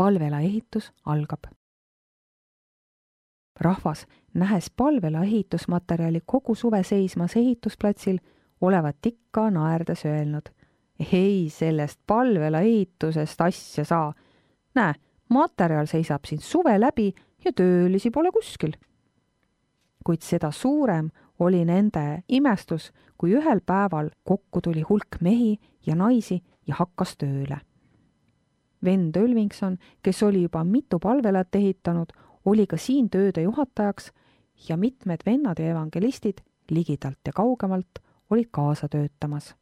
palvela ehitus algab. Rahvas, nähes palvela ehitusmaterjali kogu suve seismas ehitusplatsil, olevat ikka naerdes öelnud: ei, sellest palvela ehitusest asja saa. Näe, materjal seisab siin suve läbi ja töölisi pole kuskil. Kuid seda suurem oli nende imestus, kui ühel päeval kokku tuli hulk mehi ja naisi ja hakkas tööle. Vend Ölvingson, kes oli juba mitu palvelat ehitanud, oli ka siin tööde juhatajaks ja mitmed vennad ja evangelistid ligidalt ja kaugemalt olid kaasa töötamas.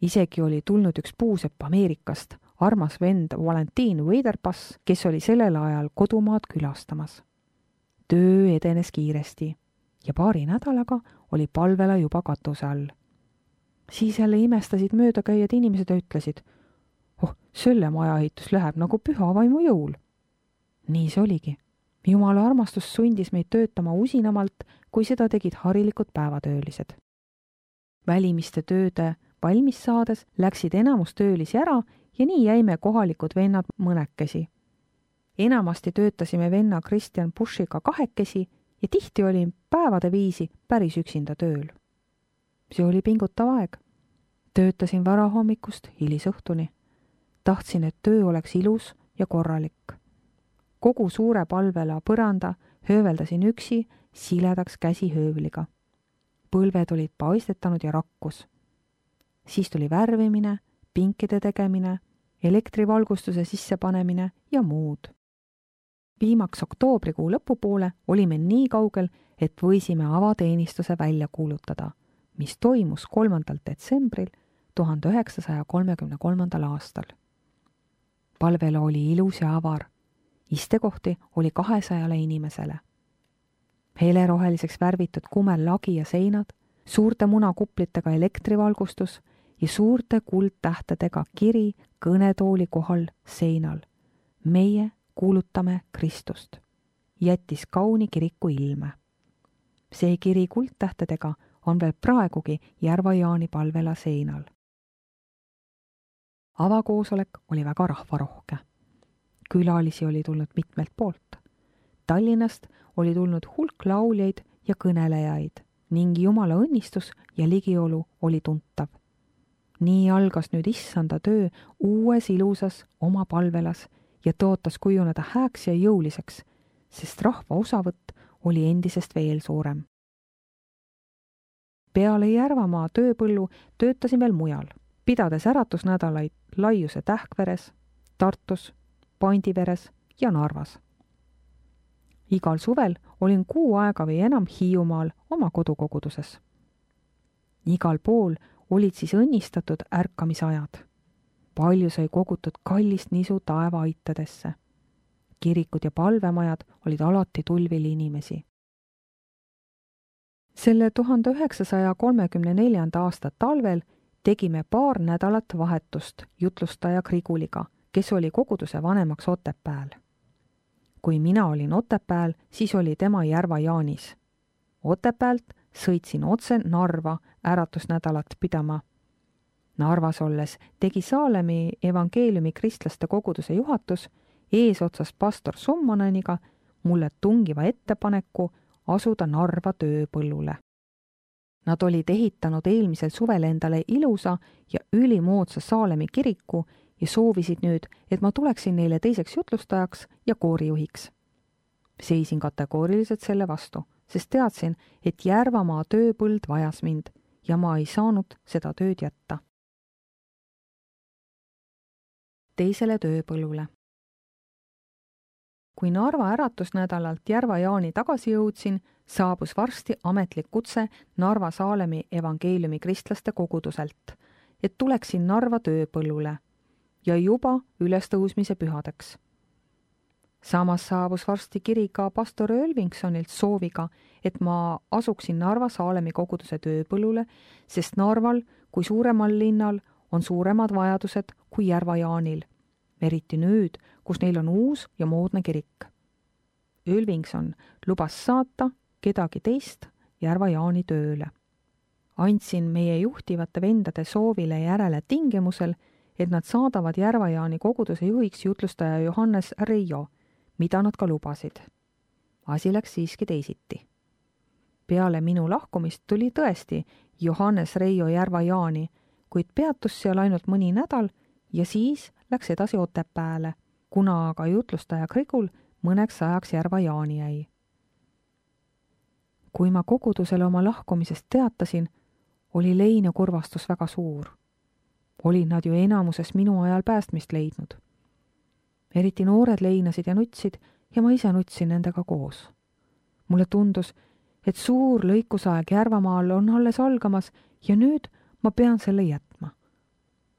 Isegi oli tulnud üks puusepp Ameerikast, armas vend Valentin Weiderpass, kes oli sellel ajal kodumaad külastamas. Töö edenes kiiresti ja paari nädalaga oli palvela juba katuse all. Siis jälle imestasid möödakäijad inimesed ja ütlesid: selle maja ehitus läheb nagu püha vaimu jõul. Nii see oligi. Jumala armastus sundis meid töötama usinamalt, kui seda tegid harilikud päevatöölised. Välimiste tööde valmis saades läksid enamus töölisi ära ja nii jäime kohalikud vennad mõnekesi. Enamasti töötasime venna Christian Bushiga kahekesi ja tihti oli päevade viisi päris üksinda tööl. See oli pingutav aeg. Töötasin varahommikust hilisõhtuni. Tahtsin, et töö oleks ilus ja korralik. Kogu suure palvela põranda hööveldasin üksi siledaks käsihöövliga. Põlved olid paistetanud ja rakkus. Siis tuli värvimine, pinkide tegemine, elektrivalgustuse sissepanemine ja muud. Viimaks oktoobrikuu lõpupoole olime nii kaugel, et võisime avateenistuse välja kuulutada, mis toimus 3. detsembril 1933. aastal. Palvela oli ilus ja avar. Istekohti oli 200 inimesele. Heleroheliseks värvitud kumellagi ja seinad, suurte munakuplitega elektrivalgustus ja suurte kuldtähtedega kiri kõnetooli kohal seinal. Meie kuulutame Kristust. Jättis kauni kiriku ilme. See kiri kuldtähtedega on veel praegugi Järva-Jaani palvela seinal. Avakoosolek oli väga rahvarohke. Külalisi oli tulnud mitmelt poolt. Tallinnast oli tulnud hulk lauljaid ja kõnelejaid ning Jumala õnnistus ja ligiolu oli tuntav. Nii algas nüüd issanda töö uues ilusas oma palvelas ja tõotas kujuneda hääks ja jõuliseks, sest rahva osavõtt oli endisest veel suurem. Peale Järvamaa tööpõllu töötasin veel mujal, pidades äratusnädalaid Laiuse Tähkveres, Tartus, Pandiveres ja Narvas. Igal suvel olin kuu aega või enam Hiiumaal oma kodukoguduses. Igal pool olid siis õnnistatud ärkamisajad. Palju sai kogutud kallist nisu taevaaitadesse. Kirikud ja palvemajad olid alati tulvil inimesi. Selle 1934. aasta talvel tegime paar nädalat vahetust jutlustaja Griguliga, kes oli koguduse vanemaks Otepääl. Kui mina olin Otepääl, siis oli tema Järva-Jaanis. Otepäält sõitsin otse Narva äratusnädalat pidama. Narvas olles tegi Saalemi evangeeliumi kristlaste koguduse juhatus eesotsas pastor Summaneniga mulle tungiva ettepaneku asuda Narva tööpõllule. Nad olid ehitanud eelmisel suvel endale ilusa ja ülimoodsa Saalemi kiriku ja soovisid nüüd, et ma tuleksin neile teiseks jutlustajaks ja koorijuhiks. Seisin kategooriliselt selle vastu, sest teadsin, et Järvamaa tööpõld vajas mind ja ma ei saanud seda tööd jätta. Teisele tööpõllule. Kui Narva äratusnädalalt Järva-Jaani tagasi jõudsin, saabus varsti ametlik kutse Narva Saalemi evangeeliumi kristlaste koguduselt, et tuleksin Narva tööpõllule ja juba ülestõusmise pühadeks. Samas saabus varsti kiri ka pastor Ölvingsonilt sooviga, et ma asuksin Narva Saalemi koguduse tööpõllule, sest Narval kui suuremal linnal on suuremad vajadused kui Järva-Jaanil, eriti nüüd, kus neil on uus ja moodne kirik. Ölvingson lubas saata kedagi teist Järva-Jaani tööle. Andsin meie juhtivate vendade soovile järele tingimusel, et nad saadavad Järva-Jaani koguduse juhiks jutlustaja Johannes Reijo, mida nad ka lubasid. Asi läks siiski teisiti. Peale minu lahkumist tuli tõesti Johannes Reijo Järva-Jaani, kuid peatus seal ainult mõni nädal ja siis läks edasi Otepääle, kuna aga jutlustaja Grigul mõneks ajaks Järva-Jaani jäi. Kui ma kogudusele oma lahkumisest teatasin, oli lein ja kurvastus väga suur. Olid nad ju enamuses minu ajal päästmist leidnud. Eriti noored leinasid ja nutsid ja ma ise nutsin nendega koos. Mulle tundus, et suur lõikusaeg Järvamaal on alles algamas ja nüüd ma pean selle jätma.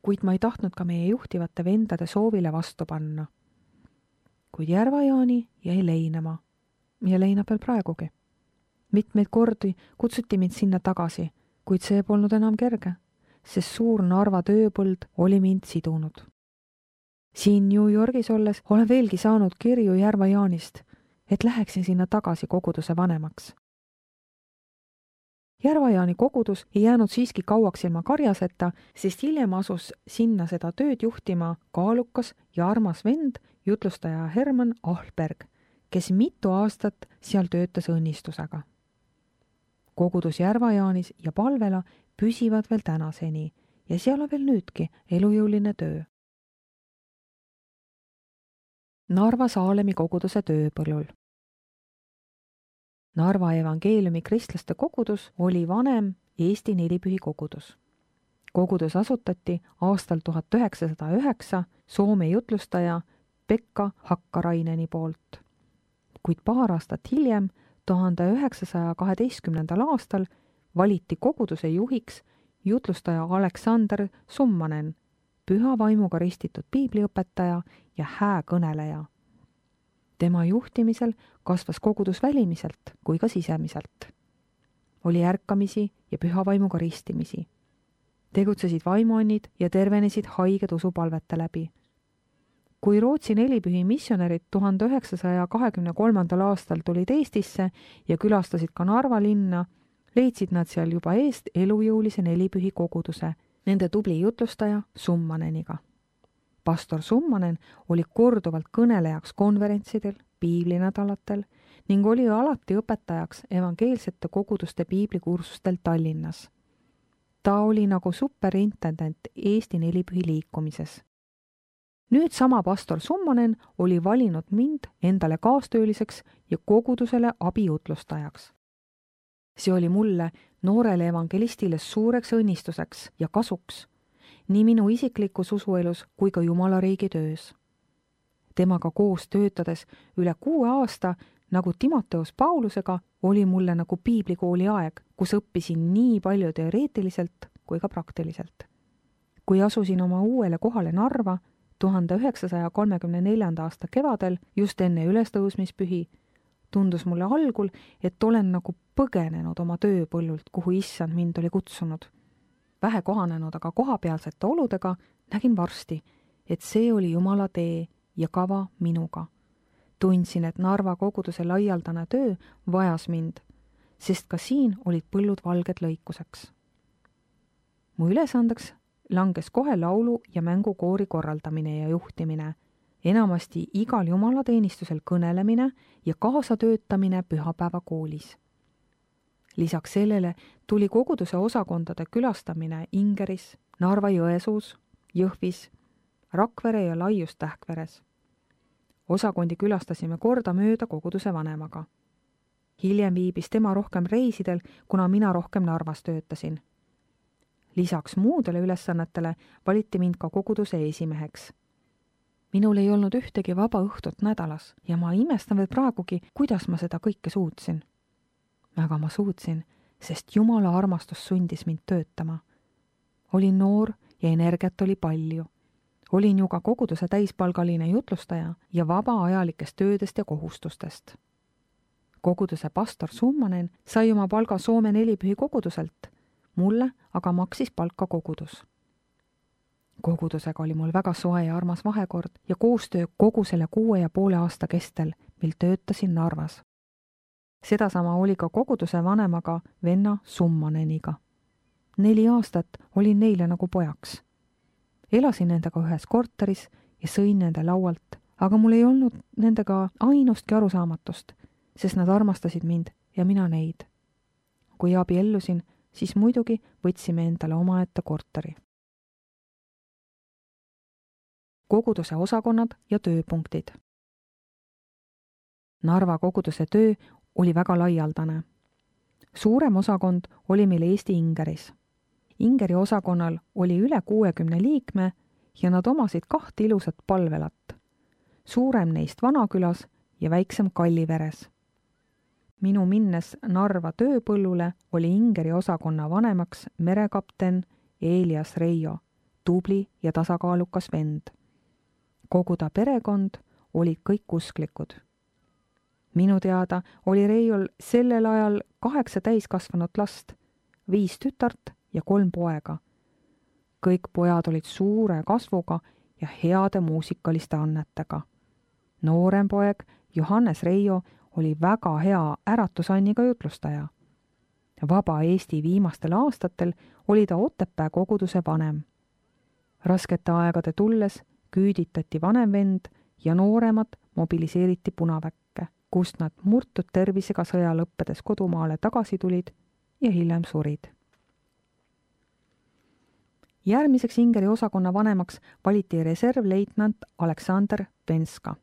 Kuid ma ei tahtnud ka meie juhtivate vendade soovile vastu panna. Kuid Järva-Jaani jäi leinama ja leinab veel praegugi. Mitmeid kordi kutsuti mind sinna tagasi, kuid see polnud enam kerge, sest suur Narva tööpõld oli mind sidunud. Siin New Yorgis olles olen veelgi saanud kirju Järva-Jaanist, et läheksin sinna tagasi koguduse vanemaks. Järva-Jaani kogudus ei jäänud siiski kauaks ilma karjaseta, sest hiljem asus sinna seda tööd juhtima kaalukas ja armas vend, jutlustaja Herman Ahlberg, kes mitu aastat seal töötas õnnistusega. Kogudus Järva-Jaanis ja Palvela püsivad veel tänaseni ja seal on veel nüüdki elujõuline töö. Narva Saalemi koguduse tööpõllul. Narva evangeeliumi kristlaste kogudus oli vanem Eesti nelipühi kogudus. Kogudus asutati aastal 1909 Soome jutlustaja Pekka Hakkaraineni poolt. Kuid paar aastat hiljem, 1912. aastal, valiti koguduse juhiks jutlustaja Aleksander Summanen, püha vaimuga ristitud piibliõpetaja ja hääkõneleja. Tema juhtimisel kasvas kogudus välimiselt kui ka sisemiselt. Oli ärkamisi ja püha vaimuga ristimisi. Tegutsesid vaimuannid ja tervenesid haiged usupalvete läbi. Kui Rootsi nelipühi missionärid 1923. aastal tulid Eestisse ja külastasid ka Narva linna, leidsid nad seal juba eest elujõulise nelipühi koguduse, nende tubli jutlustaja Summaneniga. Pastor Summanen oli korduvalt kõnelejaks konverentsidel, piiblinädalatel ning oli alati õpetajaks evangeelsete koguduste piiblikursustel Tallinnas. Ta oli nagu superintendent Eesti nelipühi liikumises. Nüüd sama pastor Summanen oli valinud mind endale kaastööliseks ja kogudusele abijutlustajaks. See oli mulle, noorele evangelistile, suureks õnnistuseks ja kasuks, nii minu isiklikus usuelus kui ka Jumala riigi töös. Temaga koos töötades üle 6 aasta, nagu Timoteus Paulusega, oli mulle nagu piiblikooli aeg, kus õppisin nii palju teoreetiliselt kui ka praktiliselt. Kui asusin oma uuele kohale Narva 1934. aasta kevadel, just enne ülestõusmispühi, tundus mulle algul, et olen nagu põgenenud oma tööpõllult, kuhu issand mind oli kutsunud. Vähe kohanenud aga kohapealsete oludega nägin varsti, et see oli Jumala tee ja kava minuga. Tundsin, et Narva koguduse laialdane töö vajas mind, sest ka siin olid põllud valged lõikuseks. Mu ülesandeks langes kohe laulu- ja mängukoori korraldamine ja juhtimine, enamasti igal jumalateenistusel kõnelemine ja kaasatöötamine pühapäevakoolis. Lisaks sellele tuli koguduse osakondade külastamine Ingeris, Narva-Jõesuus, Jõhvis, Rakvere ja Laius-Tähkveres. Osakondi külastasime kordamööda koguduse vanemaga. Hiljem viibis tema rohkem reisidel, kuna mina rohkem Narvas töötasin. Lisaks muudele ülesannetele valiti mind ka koguduse esimeheks. Minul ei olnud ühtegi vaba õhtut nädalas ja ma imestan veel praegugi, kuidas ma seda kõike suutsin. Aga ma suutsin, sest Jumala armastus sundis mind töötama. Olin noor ja energiat oli palju. Olin ju ka koguduse täispalgaline jutlustaja ja vaba ajalikest töödest ja kohustustest. Koguduse pastor Summanen sai oma palga Soome nelipühi koguduselt, mulle aga maksis palka kogudus. Kogudusega oli mul väga soe ja armas vahekord ja koostöö kogu selle 6,5 aasta kestel, mil töötasin Narvas. Sedasama oli ka koguduse vanemaga venna Summaneniga. 4 aastat olin neile nagu pojaks. elasin nendega ühes korteris ja sõin nende laualt, aga mul ei olnud nendega ainustki arusaamatust, sest nad armastasid mind ja mina neid. Kui abiellusin, siis muidugi võtsime endale omaette korteri. Koguduse osakonnad ja tööpunktid. Narva koguduse töö oli väga laialdane. Suurem osakond oli meil Eesti Ingeris. Ingeri osakonnal oli üle 60 liikme ja nad omasid 2 ilusat palvelat. Suurem neist Vanakülas ja väiksem Kalliveres. Minu minnes Narva tööpõllule oli Ingeri osakonna vanemaks merekapten Elias Reijo, tubli ja tasakaalukas vend. Kogu ta perekond olid kõik usklikud. Minu teada oli Reiol sellel ajal 8 täiskasvanud last, 5 tütart ja 3 poega. Kõik pojad olid suure kasvuga ja heade muusikaliste annetega. Noorem poeg Johannes Reijo oli väga hea äratusanniga jutlustaja. Vaba Eesti viimastel aastatel oli ta Otepää koguduse vanem. Raskete aegade tulles küüditati vanem vend ja nooremad mobiliseeriti Punaväkke, kust nad murtud tervisega sõja lõppedes kodumaale tagasi tulid ja hiljem surid. Järgmiseks Ingeri osakonna vanemaks valiti reservleitnant Aleksander Venska.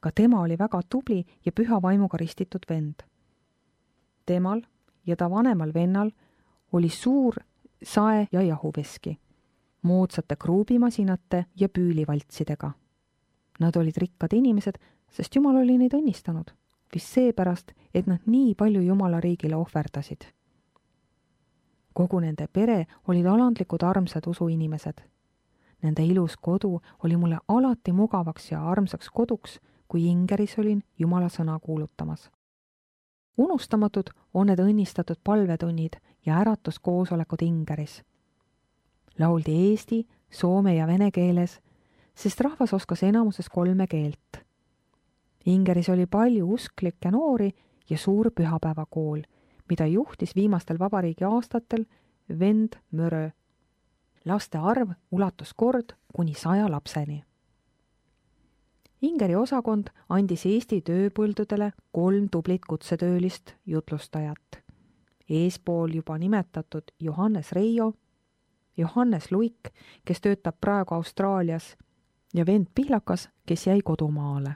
Ka tema oli väga tubli ja püha vaimuga ristitud vend. Temal ja ta vanemal vennal oli suur sae- ja jahuveski, moodsate kruubimasinate ja püülivaltsidega. Nad olid rikkad inimesed, sest Jumal oli neid õnnistanud, vist seepärast, et nad nii palju Jumala riigile ohverdasid. Kogu nende pere olid alandlikud armsad usuinimesed. Nende ilus kodu oli mulle alati mugavaks ja armsaks koduks, kui Ingeris olin Jumala sõna kuulutamas. Unustamatud on need õnnistatud palvetunnid ja äratuskoosolekud Ingeris. Lauldi eesti, soome ja vene keeles, sest rahvas oskas enamuses 3 keelt. Ingeris oli palju usklikke noori ja suur pühapäevakool, mida juhtis viimastel vabariigi aastatel vend Mörö. Laste arv ulatus kord kuni 100 lapseni. Ingeri osakond andis Eesti tööpõldudele 3 tublit kutsetöölist jutlustajat. Eespool juba nimetatud Johannes Reijo, Johannes Luik, kes töötab praegu Austraalias, ja vend Pihlakas, kes jäi kodumaale.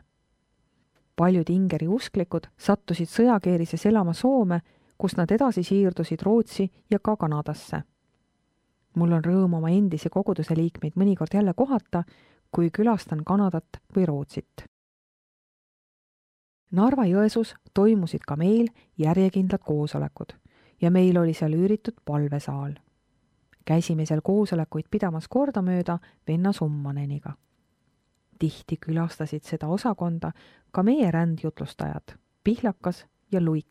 Paljud Ingeri usklikud sattusid sõjakeerises elama Soome, kus nad edasi siirdusid Rootsi ja ka Kanadasse. Mul on rõõm oma endisi koguduse liikmeid mõnikord jälle kohata, kui külastan Kanadat või Rootsit. Narva-Jõesuus toimusid ka meil järjekindlad koosolekud ja meil oli seal üüritud palvesaal. Käisime seal koosolekuid pidamas kordamööda venna Summaneniga. Tihti külastasid seda osakonda ka meie rändjutlustajad, Pihlakas ja Luik.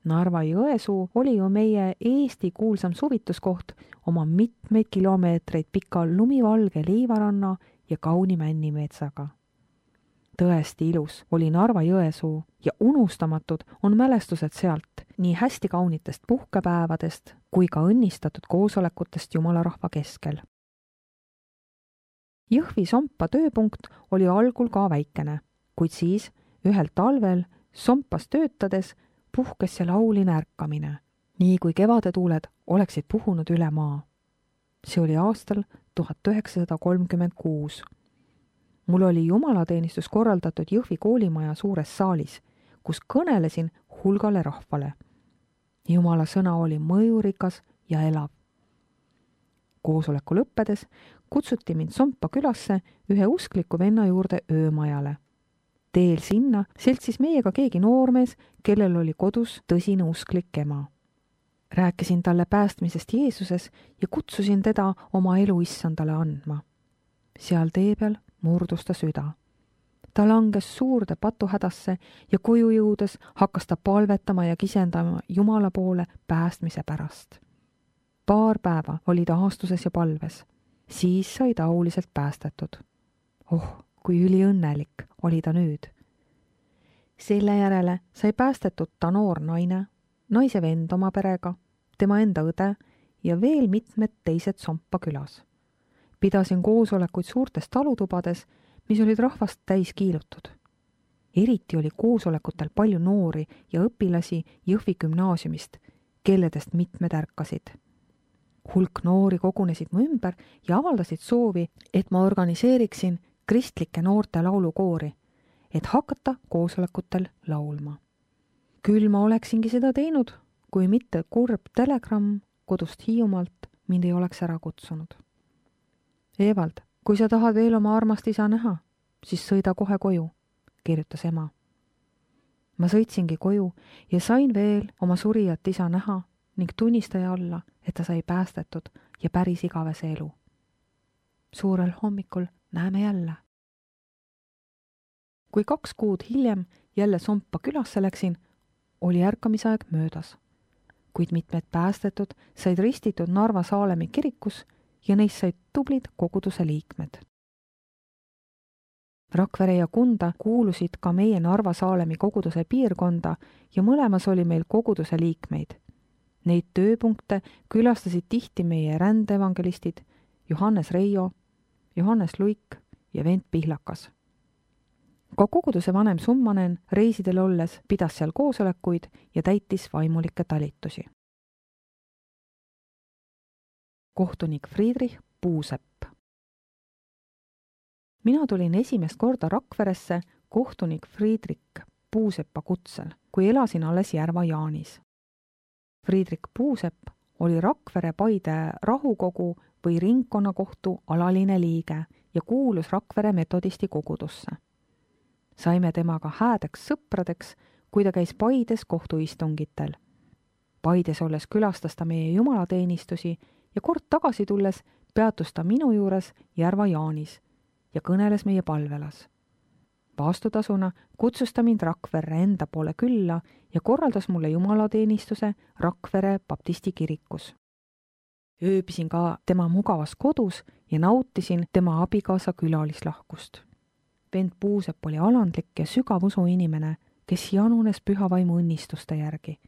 Narva-Jõesuu oli ju meie Eesti kuulsam suvituskoht oma mitmeid kilomeetreid pika lumivalge liivaranna ja kauni männimetsaga. Tõesti ilus oli Narva-Jõesuu ja unustamatud on mälestused sealt nii hästi kaunitest puhkepäevadest kui ka õnnistatud koosolekutest Jumalarahva keskel. Jõhvi Sompa tööpunkt oli algul ka väikene, kuid siis ühel talvel Sompas töötades puhkes seal auline ärkamine, nii kui kevadetuuled oleksid puhunud üle maa. See oli aastal 1936. Mul oli jumalateenistus korraldatud Jõhvi koolimaja suures saalis, kus kõnelesin hulgale rahvale. Jumala sõna oli mõjurikas ja elav. Koosoleku lõppedes kutsuti mind Sompa külasse ühe uskliku venna juurde öömajale. Teel sinna seltsis meiega keegi noormees, kellel oli kodus tõsine usklik ema. Rääkisin talle päästmisest Jeesuses ja kutsusin teda oma elu issandale andma. Seal tee peal murdus ta süda. Ta langes suurde patuhädasse ja koju jõudes hakkas ta palvetama ja kisendama Jumala poole päästmise pärast. Paar päeva oli ta aastuses ja palves. Siis sai ta auliselt päästetud. Kui üliõnnelik oli ta nüüd. Selle järele sai päästetud ta noor naine, naise vend oma perega, tema enda õde ja veel mitmed teised Sompa külas. Pidasin koosolekuid suurtes talutubades, mis olid rahvast täis kiilutud. Eriti oli koosolekutel palju noori ja õpilasi Jõhvi gümnaasiumist, kelledest mitmed ärkasid. Hulk noori kogunesid mu ümber ja avaldasid soovi, et ma organiseeriksin kristlike noorte laulukoori, et hakata koosolekutel laulma. Küll ma oleksingi seda teinud, kui mitte kurb telegramm kodust Hiiumaalt mind ei oleks ära kutsunud. Evald, kui sa tahad veel oma armast isa näha, siis sõida kohe koju, kirjutas ema. Ma sõitsingi koju ja sain veel oma surijat isa näha ning tunnistaja olla, et ta sai päästetud ja päris igavese elu. Suurel hommikul näeme jälle. Kui 2 kuud hiljem jälle Sompa külasse läksin, oli ärkamisaeg möödas, kuid mitmed päästetud said ristitud Narva Saalemi kirikus ja neist said tublid koguduse liikmed. Rakvere ja Kunda kuulusid ka meie Narva Saalemi koguduse piirkonda ja mõlemas oli meil koguduse liikmeid. Neid tööpunkte külastasid tihti meie rändeevangelistid Johannes Reijo, Johannes Luik ja Vent Pihlakas. Ka koguduse vanem Summanen reisidel olles pidas seal koosolekuid ja täitis vaimulikke talitusi. Kohtunik Friedrich Puusepp. Mina tulin esimest korda Rakveresse kohtunik Friedrich Puuseppa kutsel, kui elasin alles Järva Jaanis. Friedrich Puusepp oli Rakvere Paide rahukogu või ringkonnakohtu alaline liige ja kuulus Rakvere metodisti kogudusse. Saime temaga häädeks sõpradeks, kui ta käis Paides kohtuistungitel. Paides olles külastas ta meie jumalateenistusi ja kord tagasi tulles peatus ta minu juures Järva Jaanis ja kõneles meie palvelas. Vastutasuna kutsus ta mind Rakverre enda poole külla ja korraldas mulle jumalateenistuse Rakvere baptisti kirikus. Ööbisin ka tema mugavas kodus ja nautisin tema abikaasa külalislahkust. Vent Puusepp oli alandlik ja sügav usu inimene, kes janunes püha vaimu õnnistuste järgi.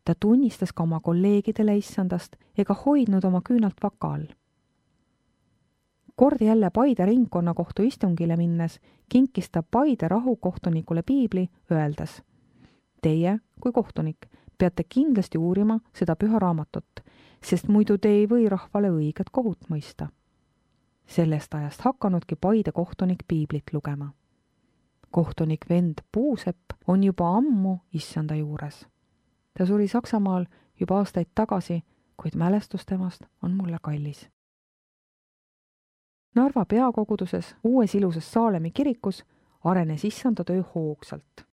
Ta tunnistas ka oma kolleegidele issandast ega hoidnud oma küünalt vaka all. Kord jälle Paide ringkonnakohtu istungile minnes kinkis ta Paide rahukohtunikule piibli, öeldes: Teie, kui kohtunik, peate kindlasti uurima seda püha raamatut, sest muidu te ei või rahvale õiget kohut mõista. Sellest ajast hakkanudki Paide kohtunik piiblit lugema. Kohtunik Vent Puusepp on juba ammu issanda juures. Ta suri Saksamaal juba aastaid tagasi, kuid mälestus temast on mulle kallis. Narva peakoguduses uues ilusas Saalemi kirikus arenes issanda töö hoogsalt.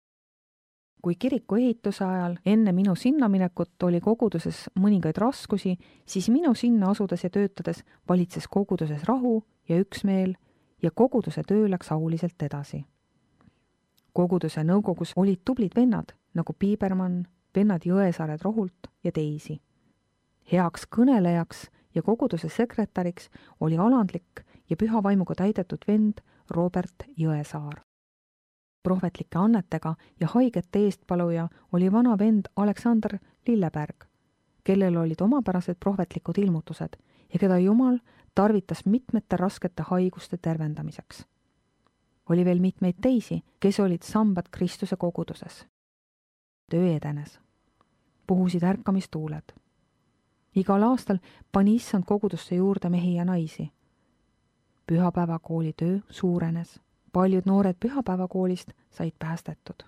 Kui kiriku ehituse ajal enne minu sinna minekut oli koguduses mõningaid raskusi, siis minu sinna asudes ja töötades valitses koguduses rahu ja üksmeel ja koguduse töö läks auliselt edasi. Koguduse nõukogus olid tublid vennad nagu Piibermann, vennad Jõesaared Rohult ja teisi. Heaks kõnelejaks ja koguduse sekretäriks oli alandlik ja püha vaimuga täidetud vend Robert Jõesaar. Prohvetlike annetega ja haigete eestpaluja oli vana vend Aleksander Lilleberg, kellel olid omapärased prohvetlikud ilmutused ja keda Jumal tarvitas mitmete raskete haiguste tervendamiseks. Oli veel mitmeid teisi, kes olid sambad Kristuse koguduses. Töö edenes. Puhusid ärkamistuuled. Igal aastal pani issand kogudusse juurde mehi ja naisi. Pühapäevakooli töö suurenes. Paljud noored pühapäevakoolist said päästetud.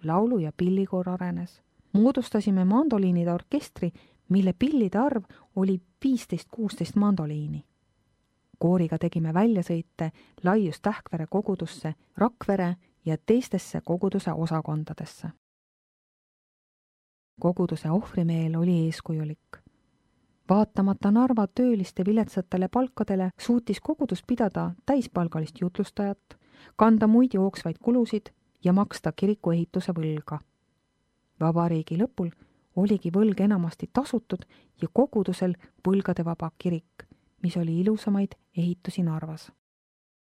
Laulu- ja pillikoor arenes. Moodustasime mandoliinide orkestri, mille pillide arv oli 15-16 mandoliini. Kooriga tegime väljasõite Laius Tähkvere kogudusse, Rakvere ja teistesse koguduse osakondadesse. Koguduse ohvrimeel oli eeskujulik. Vaatamata Narva tööliste viletsatele palkadele suutis kogudus pidada täispalgalist jutlustajat, kanda muid jooksvaid kulusid ja maksta kiriku ehituse võlga. Vabariigi lõpul oligi võlg enamasti tasutud ja kogudusel võlgadevaba kirik, mis oli ilusamaid ehitusi Narvas.